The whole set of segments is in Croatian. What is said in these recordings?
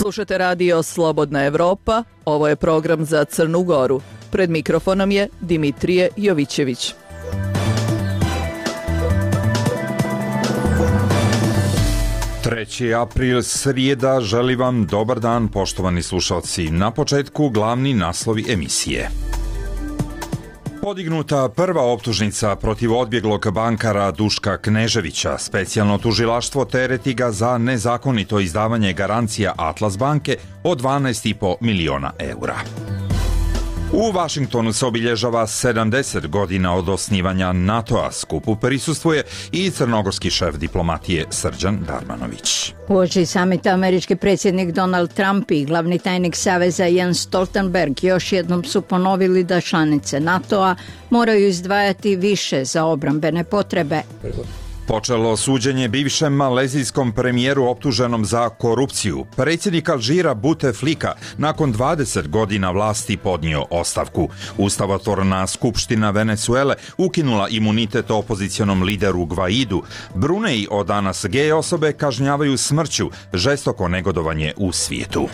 Slušate radio Slobodna Evropa, ovo je program za Crnu Goru. Pred mikrofonom je Dimitrije Jovićević. Treći april, srijeda, želi vam dobar dan, poštovani slušalci. Na početku glavni naslovi emisije. Podignuta prva optužnica protiv odbjeglog bankara Duška Kneževića. Specijalno tužilaštvo tereti ga za nezakonito izdavanje garancija Atlas banke od 12,5 miliona eura. U Vašingtonu se obilježava 70 godina od osnivanja NATO-a. Skupu prisustvuje i crnogorski šef diplomatije Srđan Darmanović. Uoči samita američki predsjednik Donald Trump i glavni tajnik Saveza Jens Stoltenberg još jednom su ponovili da članice NATO-a moraju izdvajati više za obrambene potrebe. Počelo suđenje bivšem malezijskom premijeru optuženom za korupciju. Predsjednik Alžira Bouteflika nakon 20 godina vlasti podnio ostavku. Ustavotvorna skupština Venezuele ukinula imunitet opozicionom lideru Gvaidu. Bruneji od danas gej osobe kažnjavaju smrću, žestoko negodovanje u svijetu.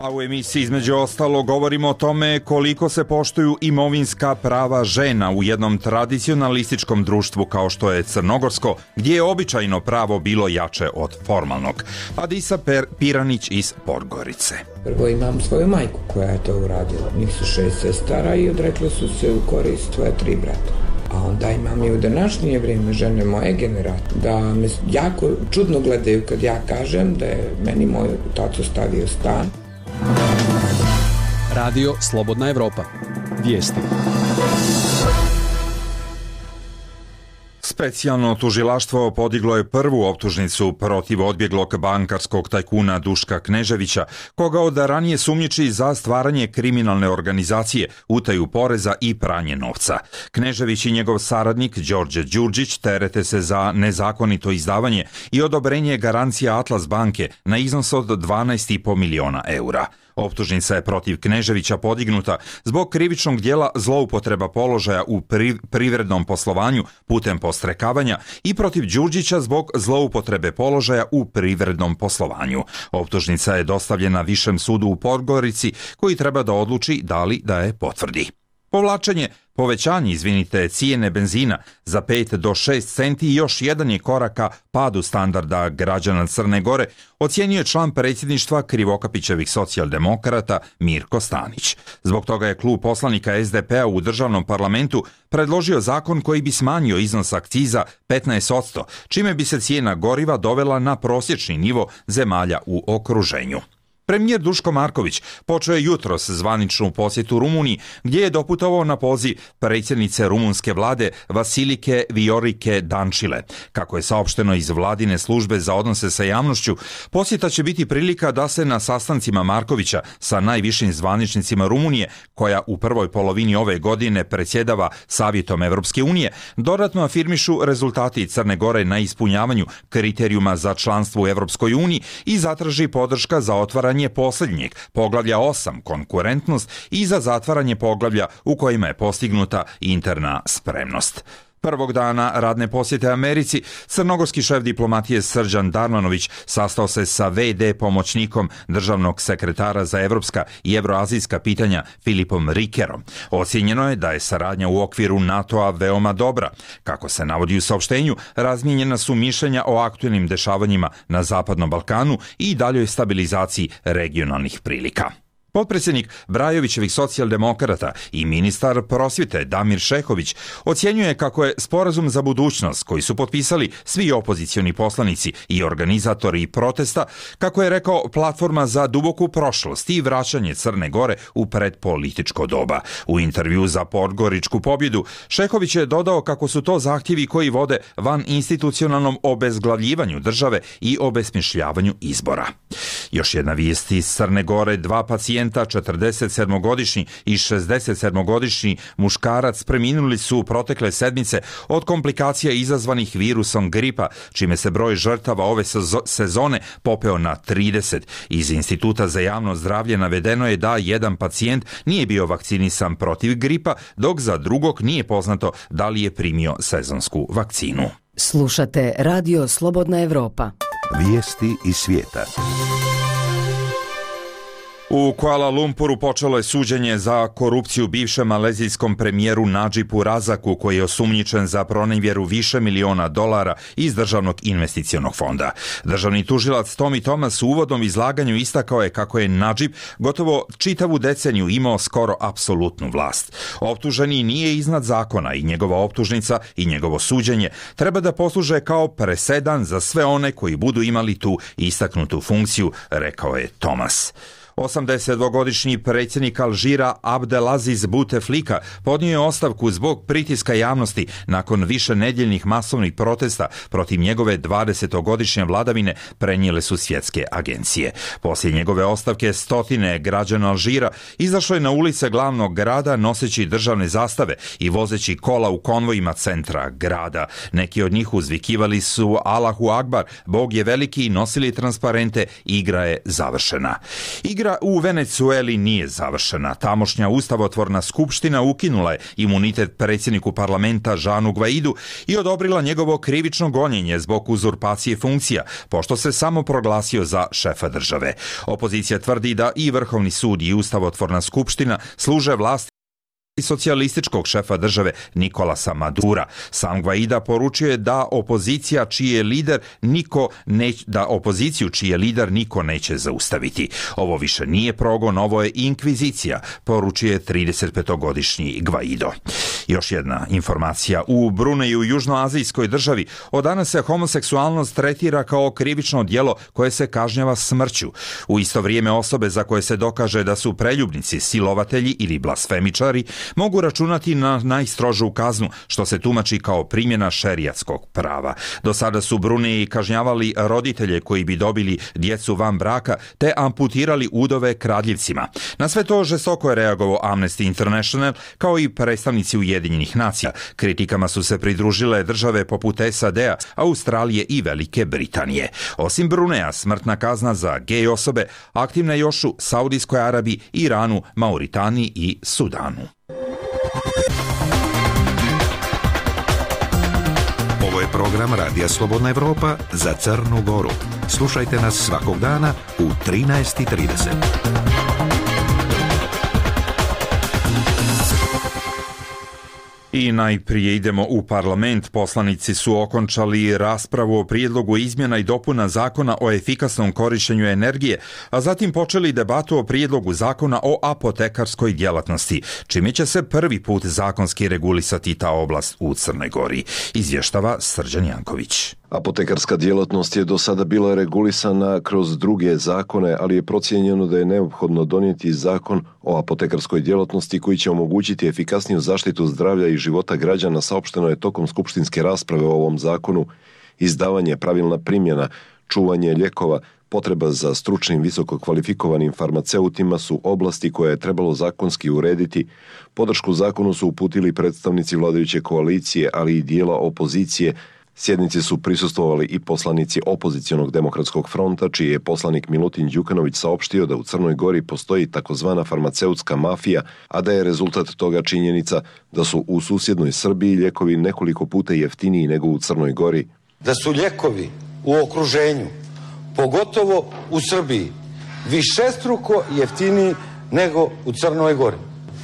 A u emisiji između ostalo govorimo o tome koliko se poštuju imovinska prava žena u jednom tradicionalističkom društvu kao što je crnogorsko, gdje je običajno pravo bilo jače od formalnog. Adisa Piranić iz Podgorice. Prvo imam svoju majku koja je to uradila. Njih su 6 sestara i odrekle su se u korist svoje 3 brata. A onda imam i u današnje vrijeme žene moje generacije da me jako čudno gledaju kad ja kažem da je meni moj taco stavio stan. Radio Slobodna Evropa. Vijesti. Specijalno tužilaštvo podiglo je prvu optužnicu protiv odbjeglog bankarskog tajkuna Duška Kneževića, koga od ranije sumnjiči za stvaranje kriminalne organizacije, utaju poreza i pranje novca. Knežević i njegov saradnik Đorđe Đurđić terete se za nezakonito izdavanje i odobrenje garancija Atlas banke na iznos od 12,5 miliona eura. Optužnica je protiv Kneževića podignuta zbog krivičnog djela zloupotreba položaja u privrednom poslovanju putem podstrekavanja i protiv Đurđića zbog zloupotrebe položaja u privrednom poslovanju. Optužnica je dostavljena Višem sudu u Podgorici koji treba da odluči da li da je potvrdi. Povećanje cijene benzina za 5 do 6 centi i još jedan je korak ka padu standarda građana Crne Gore, ocijenio član predsjedništva Krivokapićevih socijaldemokrata Mirko Stanić. Zbog toga je klub poslanika SDP-a u državnom parlamentu predložio zakon koji bi smanjio iznos akciza 15%, čime bi se cijena goriva dovela na prosječni nivo zemalja u okruženju. Premijer Duško Marković počeo je jutros zvaničnu posjetu Rumuniji, gdje je doputovao na poziv predsjednice rumunske vlade Vasilike Viorike Dančile. Kako je saopšteno iz vladine službe za odnose sa javnošću, posjeta će biti prilika da se na sastancima Markovića sa najvišim zvaničnicima Rumunije, koja u prvoj polovini ove godine predsjedava Savjetom Evropske unije, dodatno afirmišu rezultati Crne Gore na ispunjavanju kriterijuma za članstvo u Evropskoj uniji i zatraži podrška za otvaranje posljednjeg poglavlja 8 konkurentnost i za zatvaranje poglavlja u kojima je postignuta interna spremnost. Prvog dana radne posjete Americi, crnogorski šef diplomatije Srđan Darmanović sastao se sa VD pomoćnikom državnog sekretara za evropska i evroazijska pitanja Filipom Rikerom. Ocijenjeno je da je saradnja u okviru NATO-a veoma dobra. Kako se navodi u saopštenju, razmijenjena su mišljenja o aktuelnim dešavanjima na Zapadnom Balkanu i daljoj stabilizaciji regionalnih prilika. Potpredsjednik Brajovićevih socijaldemokrata i ministar prosvjete Damir Šehović ocjenjuje kako je sporazum za budućnost koji su potpisali svi opozicioni poslanici i organizatori protesta, kako je rekao, platforma za duboku prošlost i vraćanje Crne Gore u predpolitičko doba. U intervju za Podgoričku pobjedu Šehović je dodao kako su to zahtjevi koji vode van institucionalnom obezglavljivanju države i obesmišljavanju izbora. Još jedna vijest iz Crne Gore, 2 pacijenta, 47-godišnji i 67-godišnji muškarac preminuli su protekle sedmice od komplikacija izazvanih virusom gripa, čime se broj žrtava ove sezone popeo na 30. Iz Instituta za javno zdravlje navedeno je da jedan pacijent nije bio vakcinisan protiv gripa, dok za drugog nije poznato da li je primio sezonsku vakcinu. Slušate Radio Slobodna Evropa. Vijesti iz svijeta. U Kuala Lumpuru počelo je suđenje za korupciju bivšem malezijskom premijeru Nadžibu Razaku, koji je osumnjičen za pronevjeru više miliona dolara iz Državnog investicionog fonda. Državni tužilac Tommy Thomas u uvodnom izlaganju istakao je kako je Nadžib gotovo čitavu deceniju imao skoro apsolutnu vlast. Optuženi nije iznad zakona i njegova optužnica i njegovo suđenje treba da posluže kao presedan za sve one koji budu imali tu istaknutu funkciju, rekao je Thomas. 82-godišnji predsjednik Alžira Abdelaziz Bouteflika podnio je ostavku zbog pritiska javnosti nakon više nedjeljnih masovnih protesta protiv njegove 20-godišnje vladavine, prenijele su svjetske agencije. Poslije njegove ostavke stotine građana Alžira izašlo je na ulice glavnog grada noseći državne zastave i vozeći kola u konvojima centra grada. Neki od njih uzvikivali su Allahu Akbar, Bog je veliki, i nosili transparente igra je završena. Igra u Venecueli nije završena. Tamošnja ustavotvorna skupština ukinula je imunitet predsjedniku parlamenta Žanu Gvaidu i odobrila njegovo krivično gonjenje zbog uzurpacije funkcija, pošto se samo proglasio za šefa države. Opozicija tvrdi da i Vrhovni sud i ustavotvorna skupština služe vlasti i socijalističkog šefa države Nikolasa Madura. Sam Gvaida poručio je da opoziciju čiji je lider niko neće zaustaviti. Ovo više nije progon, ovo je inkvizicija, poručio je 35-godišnji Gvaido. Još jedna informacija. U Bruneju, južnoazijskoj državi, od danas se homoseksualnost tretira kao krivično djelo koje se kažnjava smrću. U isto vrijeme osobe za koje se dokaže da su preljubnici, silovatelji ili blasfemičari mogu računati na najstrožu kaznu, što se tumači kao primjena šerijatskog prava. Do sada su Bruneji kažnjavali roditelje koji bi dobili djecu van braka te amputirali udove kradljivcima. Na sve to žestoko je reagovao Amnesty International kao i predstavnici Ujedinjenih nacija. Kritikama su se pridružile države poput SAD-a, Australije i Velike Britanije. Osim Bruneja, smrtna kazna za gej osobe aktivna je još u Saudijskoj Arabiji, Iranu, Mauritaniji i Sudanu. Ovo je program Radija Slobodna Evropa za Crnu Goru. Slušajte nas svakog dana u 13:30. I najprije idemo u parlament. Poslanici su okončali raspravu o prijedlogu izmjena i dopuna zakona o efikasnom korištenju energije, a zatim počeli debatu o prijedlogu zakona o apotekarskoj djelatnosti, čime će se prvi put zakonski regulisati ta oblast u Crnoj Gori, izvještava Srđan Janković. Apotekarska djelatnost je do sada bila regulisana kroz druge zakone, ali je procijenjeno da je neophodno donijeti zakon o apotekarskoj djelatnosti koji će omogućiti efikasniju zaštitu zdravlja i života građana. Saopšteno je tokom skupštinske rasprave o ovom zakonu. Izdavanje, pravilna primjena, čuvanje lijekova, potreba za stručnim visoko kvalifikovanim farmaceutima su oblasti koje je trebalo zakonski urediti. Podršku zakonu su uputili predstavnici vladajuće koalicije, ali i dijela opozicije. Sjednici su prisustvovali i poslanici opozicionog demokratskog fronta, čiji je poslanik Milutin Đukanović saopštio da u Crnoj Gori postoji takozvana farmaceutska mafija, a da je rezultat toga činjenica da su u susjednoj Srbiji lijekovi nekoliko puta jeftiniji nego u Crnoj Gori. Da su lijekovi u okruženju, pogotovo u Srbiji, višestruko jeftiniji nego u Crnoj Gori.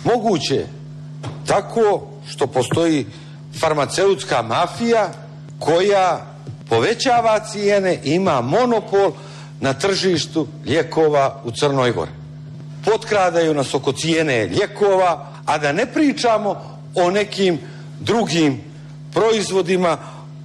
Moguće tako što postoji farmaceutska mafija koja povećava cijene, ima monopol na tržištu lijekova u Crnoj Gori. Potkradaju nas oko cijene lijekova, a da ne pričamo o nekim drugim proizvodima,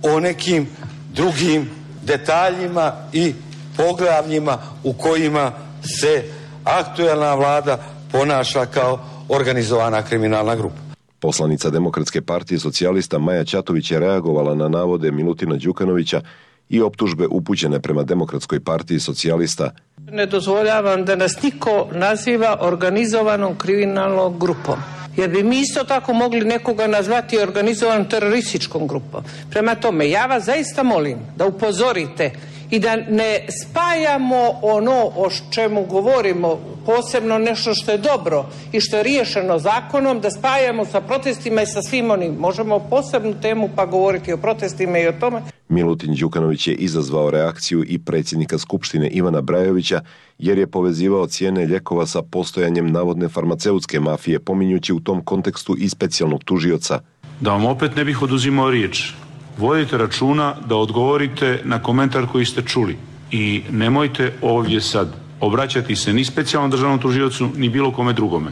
o nekim drugim detaljima i poglavljima u kojima se aktuelna vlada ponaša kao organizovana kriminalna grupa. Poslanica Demokratske partije socijalista Maja Ćatović je reagovala na navode Milutina Đukanovića i optužbe upućene prema Demokratskoj partiji socijalista. Ne dozvoljavam da nas niko naziva organizovanom kriminalnom grupom, jer bi mi isto tako mogli nekoga nazvati organizovanom terorističkom grupom. Prema tome, ja vas zaista molim da upozorite i da ne spajamo ono o čemu govorimo, posebno nešto što je dobro i što je riješeno zakonom, da spajamo sa protestima i sa svim onim. Možemo posebnu temu pa govoriti o protestima i o tome. Milutin Đukanović je izazvao reakciju i predsjednika Skupštine Ivana Brajovića jer je povezivao cijene lijekova sa postojanjem navodne farmaceutske mafije, pominjući u tom kontekstu i specijalnog tužioca. Da vam opet ne bih oduzimao riječ, vodite računa da odgovorite na komentar koji ste čuli i nemojte ovdje sad obraćati se ni specijalnom državnom tužiocu ni bilo kome drugome.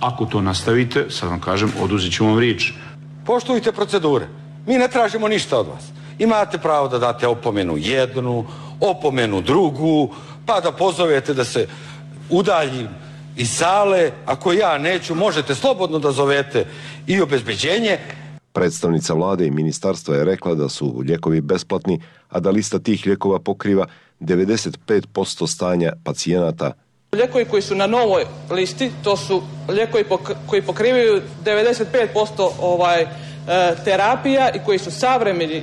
Ako to nastavite, sad vam kažem, oduzet ću vam riječ. Poštujte procedure. Mi ne tražimo ništa od vas. Imate pravo da date opomenu jednu, opomenu drugu, pa da pozovete da se udaljim iz sale. Ako ja neću, možete slobodno da zovete i obezbeđenje. Predstavnica vlade i ministarstva je rekla da su lijekovi besplatni, a da lista tih lijekova pokriva 95% stanja pacijenata. Lijekovi koji su na novoj listi, to su lijekovi koji pokrivaju 95% terapija i koji su savremeni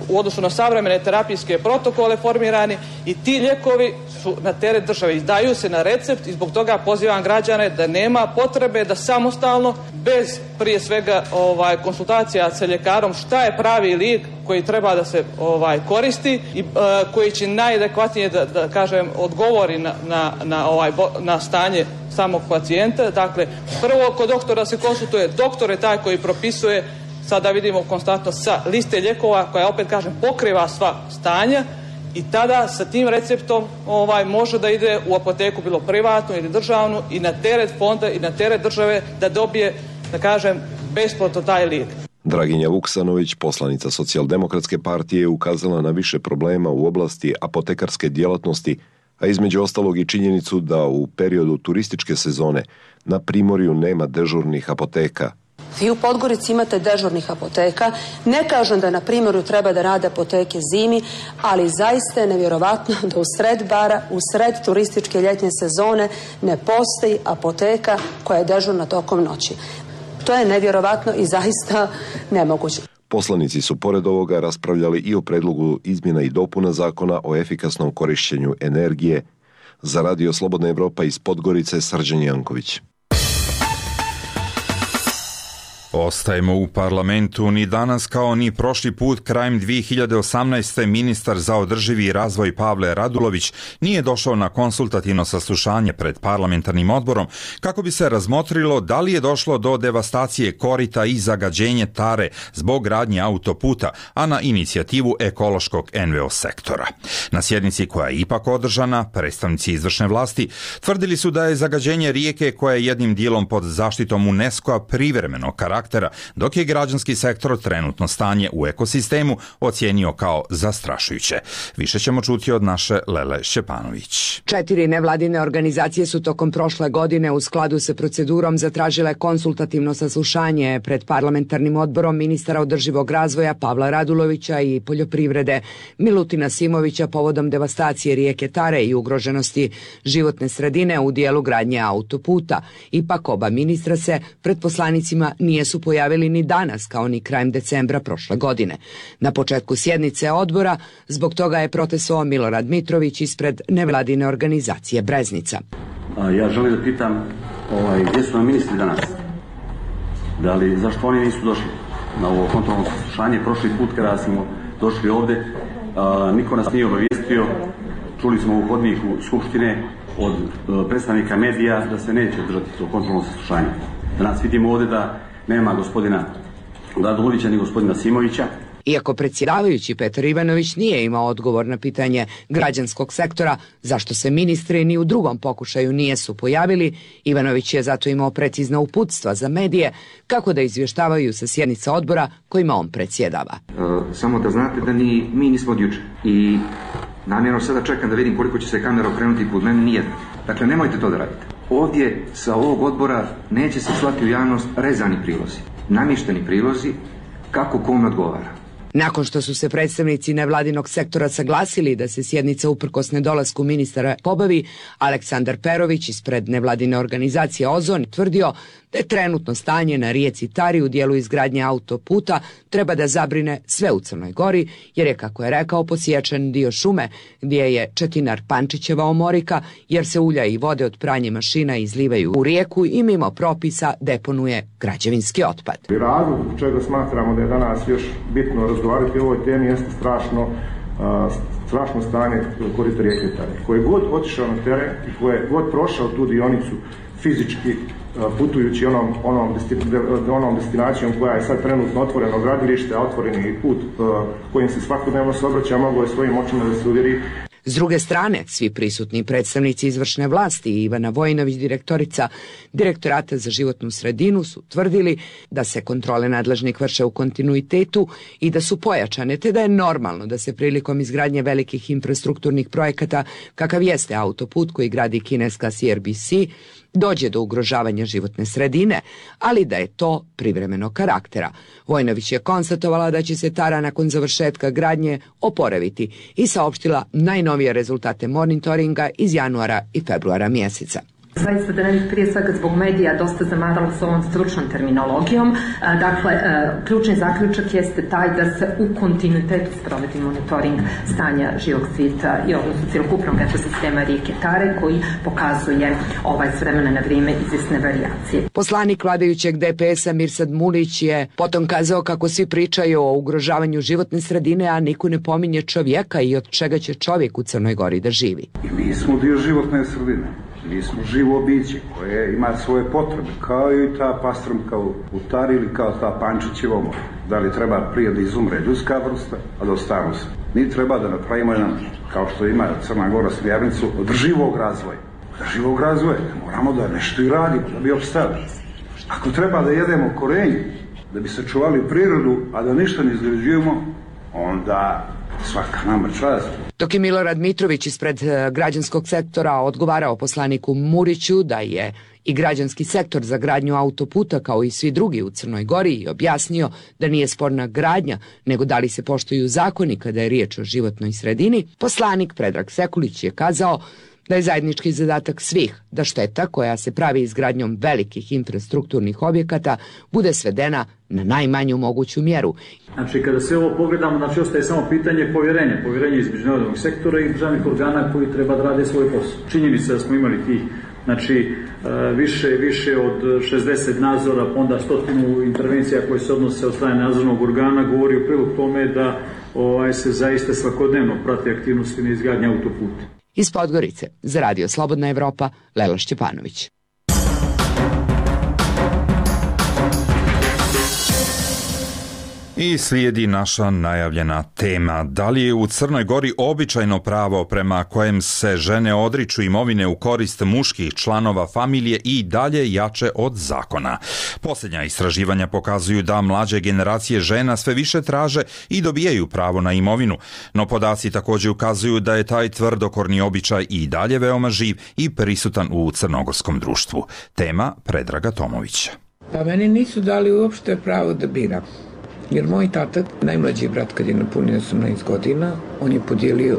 u odnosu na savremene terapijske protokole formirani, i ti lijekovi su na teret države, izdaju se na recept i zbog toga pozivam građane da nema potrebe da samostalno, bez prije svega konsultacija sa ljekarom, šta je pravi lijek koji treba da se koristi i koji će najadekvatnije da kažem odgovori na stanje samog pacijenta. Dakle, prvo kod doktora se konsultuje, doktor je taj koji propisuje. Sada vidimo konstantno sa liste lijekova koja, opet kažem, pokriva sva stanja, i tada sa tim receptom može da ide u apoteku, bilo privatnu ili državnu, i na teret fonda i na teret države da dobije, da kažem, besplatno taj lijek. Draginja Vuksanović, poslanica Socijaldemokratske partije, je ukazala na više problema u oblasti apotekarske djelatnosti, a između ostalog i činjenicu da u periodu turističke sezone na Primorju nema dežurnih apoteka. Vi u Podgorici imate dežurnih apoteka. Ne kažem da na Primorju treba da rade apoteke zimi, ali zaista je nevjerovatno da u sred bara, u sred turističke ljetnje sezone ne postoji apoteka koja je dežurna tokom noći. To je nevjerovatno i zaista nemoguće. Poslanici su pored ovoga raspravljali i o predlogu izmjena i dopuna zakona o efikasnom korištenju energije. Za Radio Slobodna Evropa iz Podgorice, Srđan Janković. Ostajemo u parlamentu. Ni danas kao ni prošli put krajem 2018. ministar za održivi razvoj Pavle Radulović nije došao na konsultativno saslušanje pred parlamentarnim odborom kako bi se razmotrilo da li je došlo do devastacije korita i zagađenje Tare zbog gradnje autoputa, a na inicijativu ekološkog NVO sektora. Na sjednici koja je ipak održana, predstavnici izvršne vlasti tvrdili su da je zagađenje rijeke, koja je jednim dijelom pod zaštitom UNESCO-a, privremenog karaktera, dok je građanski sektor trenutno stanje u ekosistemu ocijenio kao zastrašujuće. Više ćemo čuti od naše Lele Šćepanović. 4 nevladine organizacije su tokom prošle godine u skladu sa procedurom zatražile konsultativno saslušanje pred parlamentarnim odborom ministara održivog razvoja Pavla Radulovića i poljoprivrede Milutina Simovića povodom devastacije rijeke Tare i ugroženosti životne sredine u dijelu gradnje autoputa. Ipak oba ministra se pred poslanicima nisu pojavili ni danas kao ni krajem decembra prošle godine. Na početku sjednice odbora zbog toga je protestovao Milorad Mitrović ispred nevladine organizacije Breznica. Ja želim da pitam gdje su nam ministri danas? Zašto oni nisu došli na ovo kontrolno saslušanje? Prošli put kada smo došli ovdje, niko nas nije obavijestio. Čuli smo u hodniku Skupštine od predstavnika medija da se neće održati to kontrolno saslušanje. Danas vidimo ovdje da nema gospodina Radulovića ni gospodina Simovića. Iako predsjedavajući Petar Ivanović nije imao odgovor na pitanje građanskog sektora zašto se ministri ni u drugom pokušaju nisu pojavili, Ivanović je zato imao precizna uputstva za medije kako da izvještavaju sa sjednica odbora kojima on predsjedava. Samo da znate da ni mi nismo od juče i namjerno sada čekam da vidim koliko će se kamera okrenuti kod mene, nijedna. Dakle, nemojte to da radite. Ovdje sa ovog odbora neće se slati u javnost rezani prilozi, namješteni prilozi kako kome odgovara. Nakon što su se predstavnici nevladinog sektora saglasili da se sjednica uprkos nedolasku ministara pobavi, Aleksandar Perović ispred nevladine organizacije Ozon tvrdio da je trenutno stanje na rijeci Tari u dijelu izgradnje autoputa treba da zabrine sve u Crnoj Gori, jer je, kako je rekao, posječen dio šume gdje je Četinar Pančićeva omorika, jer se ulja i vode od pranje mašina izlivaju u rijeku i mimo propisa deponuje građevinski otpad. Razlog čega smatramo da je danas još bitno razgovarati o ovoj temi jeste strašno stanje korita rijeke Tare. Koje god otišao na teren i koje god prošao tu dionicu fizički putujući onom destinacijom koja je sad trenutno otvoreno gradilište, a otvoreni i put kojim se svakodnevno se obraća, moglo je svojim očima da se uvjeri. S druge strane, svi prisutni predstavnici izvršne vlasti i Ivana Vojinović, direktorica Direktorata za životnu sredinu, su tvrdili da se kontrole nadležnih vrše u kontinuitetu i da su pojačane, te da je normalno da se prilikom izgradnje velikih infrastrukturnih projekata, kakav jeste autoput koji gradi kineska CRBC, dođe do ugrožavanja životne sredine, ali da je to privremenog karaktera. Vojnović je konstatovala da će se Tara nakon završetka gradnje oporaviti i saopštila najnovije rezultate monitoringa iz januara i februara mjeseca. Zaista da ne bih prije svega zbog medija dosta zamarala s ovom stručnom terminologijom. Dakle, ključni zaključak jeste taj da se u kontinuitetu sprovodi monitoring stanja živog svijeta i odnosno cjelokupnog ekosistema rijeke Tare koji pokazuje s vremena na vrijeme izvjesne varijacije. Poslanik vladajućeg DPS-a Mirsad Mulić je potom kazao kako svi pričaju o ugrožavanju životne sredine, a niko ne pominje čovjeka i od čega će čovjek u Crnoj Gori da živi. I mi smo dio životne sredine. Mi smo živo biće koje ima svoje potrebe, kao i ta pastrmka u Tari ili kao ta Pančićeva omorika. Da li treba prije da izumre ljudska vrsta, a da ostanu se. Mi treba da napravimo jedan, kao što ima Crna Gora smjernicu, održivog razvoja. Održivog razvoja, moramo da nešto i radimo, da bi opstali. Ako treba da jedemo korenje, da bi sačuvali prirodu, a da ništa ne izgrađujemo, onda svaka nama čast. Dok je Milorad Mitrović ispred građanskog sektora odgovarao poslaniku Muriću da je i građanski sektor za gradnju autoputa kao i svi drugi u Crnoj Gori i objasnio da nije sporna gradnja, nego da li se poštuju zakoni kada je riječ o životnoj sredini, poslanik Predrag Sekulić je kazao da je zajednički zadatak svih da šteta koja se pravi izgradnjom velikih infrastrukturnih objekata bude svedena na najmanju moguću mjeru. Znači, kada se ovo pogledamo, ostaje samo pitanje povjerenje između nevladinog sektora i državnih organa koji treba da rade svoj posao. Činjenica da smo imali tih, više od 60 nadzora, pa onda 100 intervencija koje se odnose od strane nadzornog organa, govori u prilog tome da se zaista svakodnevno prate aktivnosti na izgradnji autoputa. Iz Podgorice, za Radio Slobodna Evropa, Lela Šćepanović. I slijedi naša najavljena tema. Da li je u Crnoj Gori običajno pravo prema kojem se žene odriču imovine u korist muških članova familije i dalje jače od zakona? Posljednja istraživanja pokazuju da mlađe generacije žena sve više traže i dobijaju pravo na imovinu, no podaci također ukazuju da je taj tvrdokorni običaj i dalje veoma živ i prisutan u crnogorskom društvu. Tema Predraga Tomovića. Pa meni nisu dali uopšte pravo da biram. Jer moj tata, najmlađi brat kad je napunio 18 godina, on je podijelio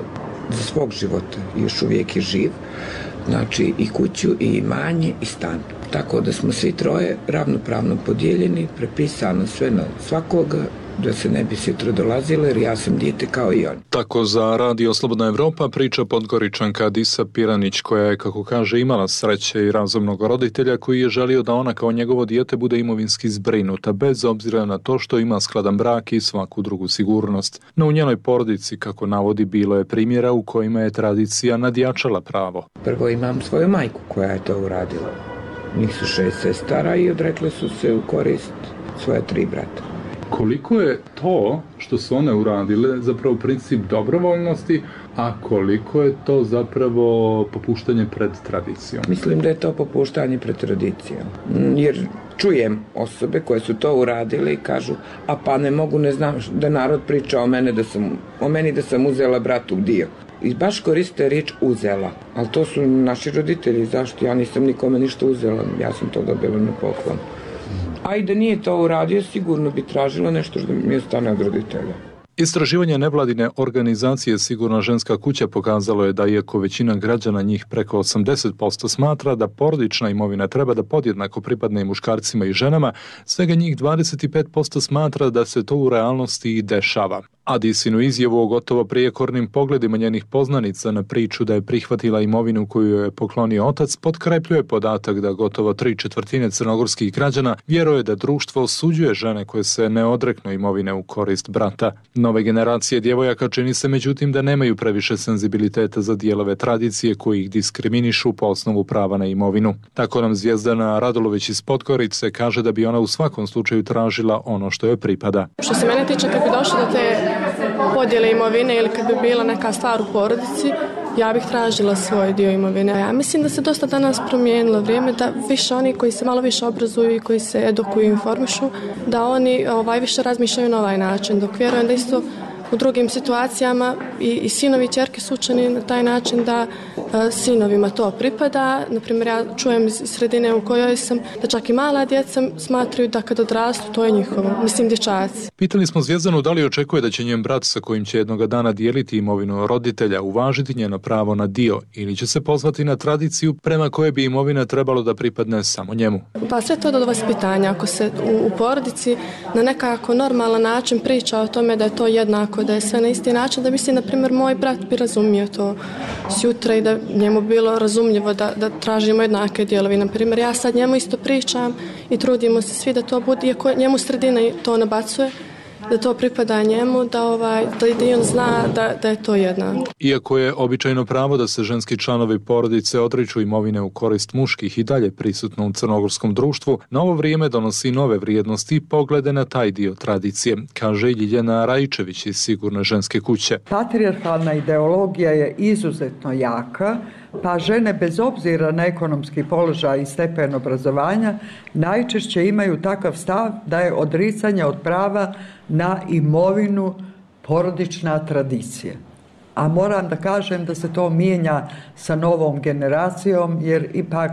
za svog života, još uvijek je živ, znači i kuću, i imanje, i stan. Tako da smo svi troje ravnopravno podijeljeni, prepisano sve na svakoga, da se ne bi sutra dolazile, jer ja sam dijete kao i on. Tako za Radio Slobodna Evropa priča Podgoričanka Disa Piranić, koja je, kako kaže, imala sreće i razumnog roditelja koji je želio da ona kao njegovo dijete bude imovinski zbrinuta, bez obzira na to što ima skladan brak i svaku drugu sigurnost. No u njenoj porodici, kako navodi, bilo je primjera u kojima je tradicija nadjačala pravo. Prvo imam svoju majku koja je to uradila. Njih su 6 sestara i odrekle su se u korist svoje 3 brata. Koliko je to što su one uradile zapravo princip dobrovoljnosti, a koliko je to zapravo popuštanje pred tradicijom? Mislim da je to popuštanje pred tradicijom. Jer čujem osobe koje su to uradile i kažu, a pa ne mogu, ne znam da narod priča o meni da sam uzela bratu dio. I baš koriste riječ uzela, ali to su naši roditelji, zašto? Ja nisam nikome ništa uzela, ja sam to dobila na poklon. A i da nije to uradio, sigurno bi tražila nešto što mi ostane od roditelja. Istraživanje nevladine organizacije Sigurna ženska kuća pokazalo je da iako većina građana, njih preko 80%, smatra da porodična imovina treba da podjednako pripadne i muškarcima i ženama, svega njih 25% smatra da se to u realnosti i dešava. Adisinu izjavu o gotovo prijekornim pogledima njenih poznanica na priču da je prihvatila imovinu koju je poklonio otac potkrepljuje podatak da gotovo 3/4 crnogorskih građana vjeruje da društvo osuđuje žene koje se ne odreknu imovine u korist brata. Nove generacije djevojaka čini se međutim da nemaju previše senzibiliteta za dijelove tradicije koji ih diskriminišu po osnovu prava na imovinu. Tako nam Zvijezdana Radulović iz Podgorice kaže da bi ona u svakom slučaju tražila ono što joj pripada. Što se mene tiče, kad bi došlo do te podjele imovine ili kad bi bila neka stvar u porodici, ja bih tražila svoj dio imovine. Ja mislim da se dosta danas promijenilo vrijeme, da više oni koji se malo više obrazuju i koji se edukuju i informišu, da oni više razmišljaju na ovaj način, dok vjerujem da isto u drugim situacijama i sinovi i ćerke su učeni na taj način da sinovima to pripada. Naprimjer, ja čujem iz sredine u kojoj sam da čak i mala djeca smatraju da kad odrastu to je njihovo, mislim dječaci. Pitali smo Zvijezdanu da li očekuje da će njen brat sa kojim će jednoga dana dijeliti imovinu roditelja uvažiti njeno pravo na dio ili će se pozvati na tradiciju prema kojoj bi imovina trebalo da pripadne samo njemu. Pa sve to do vaspitanja. Ako se u porodici na nekako normalan način priča o tome da je to jednako, da je sve na isti način, da mislim, na primjer, moj brat bi razumio to sjutra i da njemu bilo razumljivo da tražimo jednake dijelovi. Na primjer, ja sad njemu isto pričam i trudimo se svi da to bude, iako njemu sredina to nabacuje, da to pripada njemu, da i on zna da je to jednako. Iako je običajno pravo da se ženski članovi porodice odriču imovine u korist muških i dalje prisutno u crnogorskom društvu, novo vrijeme donosi nove vrijednosti i poglede na taj dio tradicije, kaže Ljiljana Rajčević iz Sigurne ženske kuće. Patrijarhalna ideologija je izuzetno jaka, pa žene bez obzira na ekonomski položaj i stepen obrazovanja najčešće imaju takav stav da je odricanje od prava na imovinu porodična tradicija. A moram da kažem da se to mijenja sa novom generacijom, jer ipak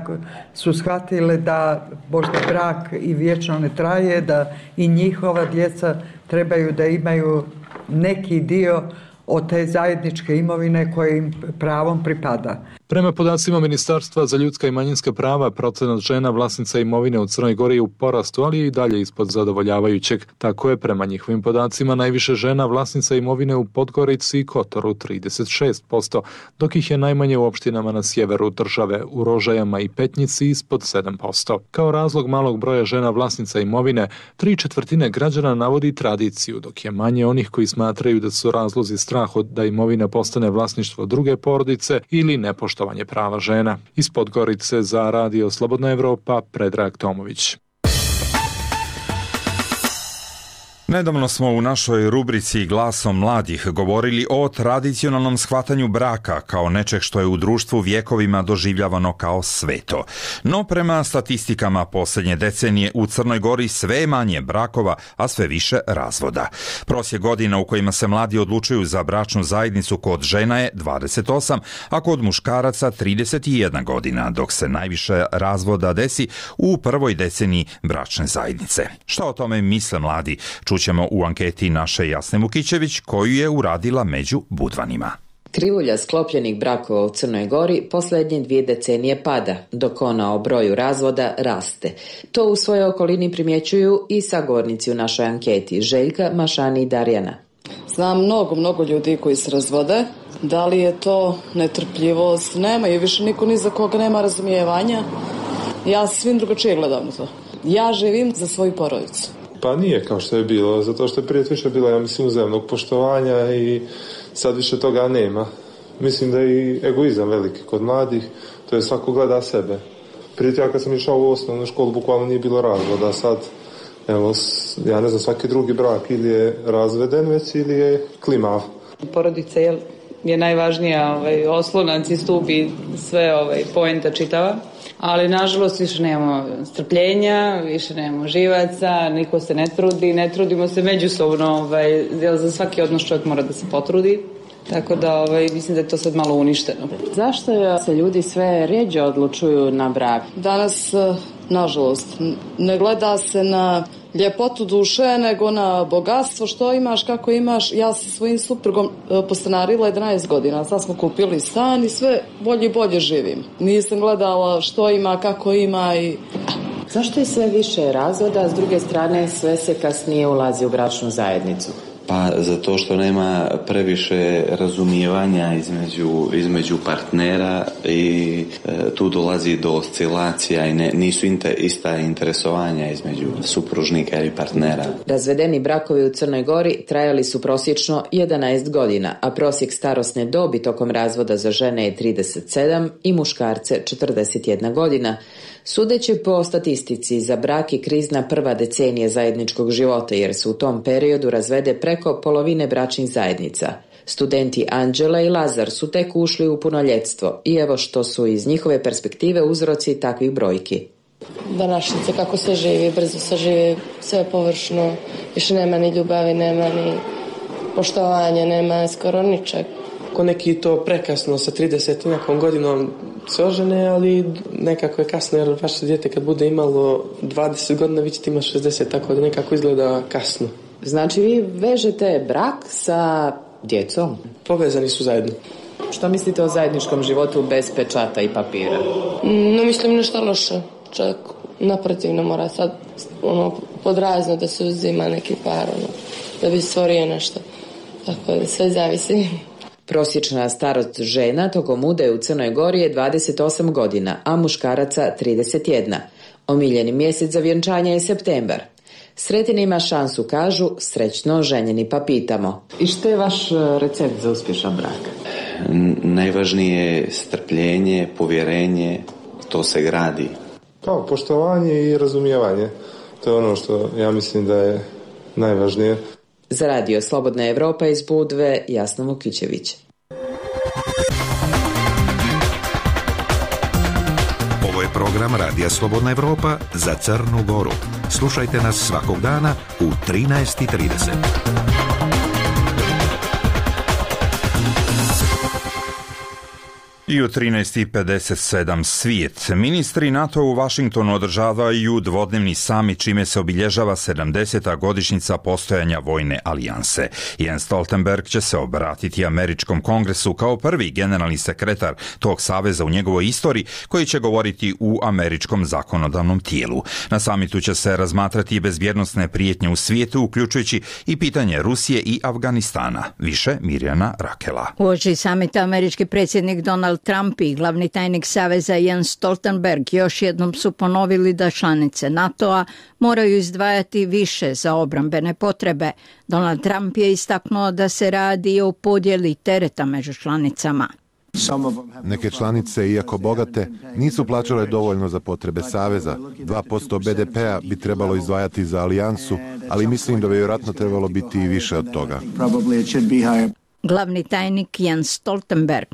su shvatile da možda brak i vječno ne traje, da i njihova djeca trebaju da imaju neki dio od te zajedničke imovine koje im pravom pripada. Prema podacima Ministarstva za ljudska i manjinska prava, procenat žena vlasnica imovine u Crnoj Gori je u porastu, ali je i dalje ispod zadovoljavajućeg. Tako je, prema njihovim podacima, najviše žena vlasnica imovine u Podgorici i Kotoru 36%, dok ih je najmanje u opštinama na sjeveru države, u Rožajama i Petnici ispod 7%. Kao razlog malog broja žena vlasnica imovine, 3/4 građana navodi tradiciju, dok je manje onih koji smatraju da su razlozi strah da imovina postane vlasništvo druge porodice ili nepoštovanje prava žena. Iz Podgorice za Radio Slobodna Evropa, Predrag Tomović. Nedavno smo u našoj rubrici Glasom mladih govorili o tradicionalnom shvatanju braka kao nečeg što je u društvu vjekovima doživljavano kao sveto. No prema statistikama posljednje decenije u Crnoj Gori sve je manje brakova, a sve više razvoda. Prosjek godina u kojima se mladi odlučuju za bračnu zajednicu kod žena je 28, a kod muškaraca 31 godina, dok se najviše razvoda desi u prvoj deceniji bračne zajednice. Šta o tome misle mladi? Čućemo u anketi naše Jasne Mukićević koju je uradila među Budvanima. Krivulja sklopljenih brakova u Crnoj Gori posljednje 2 decenije pada, dok ona o broju razvoda raste. To u svojoj okolini primjećuju i sagovornici u našoj anketi, Željka, Mašani i Darjana. Znam mnogo ljudi koji se razvode. Da li je to netrpljivost? Nema i više niko ni za koga nema razumijevanja. Ja svim drugačije gledam na to. Ja živim za svoju porodicu. Pa nije kao što je bilo, zato što je prije više bilo, ja mislim, uzajamnog poštovanja i sad više toga nema. Mislim da je i egoizam veliki kod mladih, to je svako gleda sebe. Prije ja kad sam išao u osnovnu školu, bukvalno nije bilo razvoda, sad, evo, ja ne znam, svaki drugi brak ili je razveden već ili je klimav. Porodica je najvažnija oslonac i stup i sve poenta čitava. Ali nažalost više nemamo strpljenja, više nemamo živaca, niko se ne trudimo se međusobno, za svaki odnos čovjek mora da se potrudi, tako da mislim da je to sad malo uništeno. Zašto se ljudi sve rjeđe odlučuju na brak? Danas, nažalost, ne gleda se na ljepotu duše nego na bogatstvo, što imaš, kako imaš. Ja sa svojim suprugom postanarila 11 godina, sad smo kupili stan i sve bolje i bolje živim. Nisam gledala što ima, kako ima i... Zašto je sve više razvoda, a s druge strane sve se kasnije ulazi u bračnu zajednicu? Pa zato što nema previše razumijevanja između partnera i tu dolazi do oscilacija i nisu ista interesovanja između supružnika i partnera. Razvedeni brakovi u Crnoj Gori trajali su prosječno 11 godina, a prosjek starosne dobi tokom razvoda za žene je 37 i muškarce 41 godina. Sudeći po statistici, za brak je krizna prva decenija zajedničkog života, jer se u tom periodu razvede preko polovine bračnih zajednica. Studenti Anđela i Lazar su tek ušli u punoljetstvo i evo što su iz njihove perspektive uzroci takvih brojki. Današnjice, kako se živi, brzo se živi, sve površno, više nema ni ljubavi, nema ni poštovanja, nema skoro ničeg. Ko neki to prekasno sa 30 nekom godinom se ožene, ali nekako je kasno, jer vaše dijete kad bude imalo 20 godina, vi ćete imati 60, tako da nekako izgleda kasno. Znači vi vežete brak sa djecom? Povezani su zajedno. Što mislite o zajedničkom životu bez pečata i papira? Ne mislim nešto loše, čak naprotiv ne mora sad podrazno da se uzima neki par, da bi stvorio nešto, tako da sve zavisi. Prosječna starost žena tokom udaje u Crnoj Gori je 28 godina, a muškaraca 31. Omiljeni mjesec za vjenčanje je septembar. Sretin ima šansu, kažu, srećno ženjeni pa pitamo. I što je vaš recept za uspješan brak? Najvažnije je strpljenje, povjerenje, to se gradi. Kao poštovanje i razumijevanje. To je ono što ja mislim da je najvažnije. Za radio Slobodna Evropa iz Budve, Jasna Vukićević. Ovo je program Radija Slobodna Evropa za Crnu Goru. Slušajte nas svakog dana u 13:30. I u 13:57 svijet. Ministri NATO u Vašingtonu održavaju dvodnevni samit, čime se obilježava 70. godišnjica postojanja vojne alijanse. Jens Stoltenberg će se obratiti Američkom kongresu kao prvi generalni sekretar tog saveza u njegovoj istoriji, koji će govoriti u američkom zakonodavnom tijelu. Na samitu će se razmatrati bezbjednosne prijetnje u svijetu, uključujući i pitanje Rusije i Afganistana. Više Mirjana Rakela. Uoči samita američki predsjednik Donald Trump i glavni tajnik Saveza Jens Stoltenberg još jednom su ponovili da članice NATO-a moraju izdvajati više za obrambene potrebe. Donald Trump je istaknuo da se radi o podjeli tereta među članicama. Neke članice, iako bogate, nisu plaćale dovoljno za potrebe Saveza. 2% BDP-a bi trebalo izdvajati za alijansu, ali mislim da bi vjerojatno trebalo biti i više od toga. Glavni tajnik Jens Stoltenberg.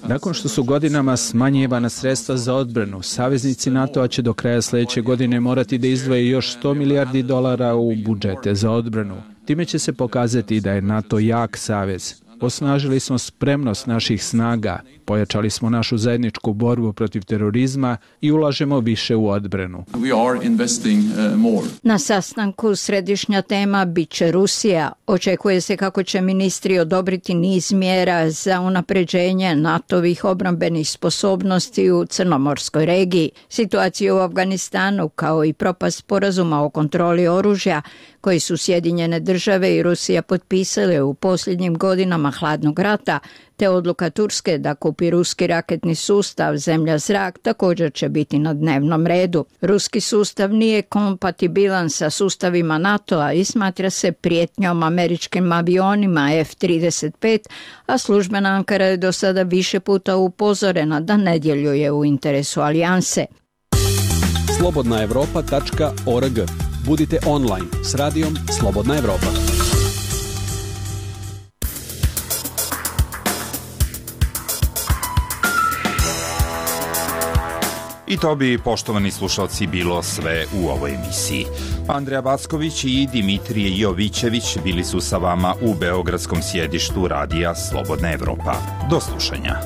Nakon što su godinama smanjivana sredstva za odbranu, saveznici NATO-a će do kraja sljedeće godine morati da izdvoje još $100 milijardi u budžete za odbranu. Time će se pokazati da je NATO jak savez. Osnažili smo spremnost naših snaga, pojačali smo našu zajedničku borbu protiv terorizma i ulažemo više u odbranu. Na sastanku središnja tema bit će Rusija. Očekuje se kako će ministri odobriti niz mjera za unapređenje NATO-vih obrambenih sposobnosti u Crnomorskoj regiji. Situacija u Afganistanu, kao i propast sporazuma o kontroli oružja, koji su Sjedinjene države i Rusija potpisale u posljednjim godinama hladnog rata, te odluka Turske da kupi ruski raketni sustav zemlja-zrak također će biti na dnevnom redu. Ruski sustav nije kompatibilan sa sustavima NATO-a i smatra se prijetnjom američkim avionima F-35, a službena Ankara je do sada više puta upozorena da ne djeluje u interesu alijanse. slobodnaevropa.org. Budite online s radijom Slobodna Evropa. I to bi, poštovani slušalci, bilo sve u ovoj emisiji. Andreja Backović i Dimitrije Jovićević bili su sa vama u beogradskom sjedištu radija Slobodna Evropa. Do slušanja.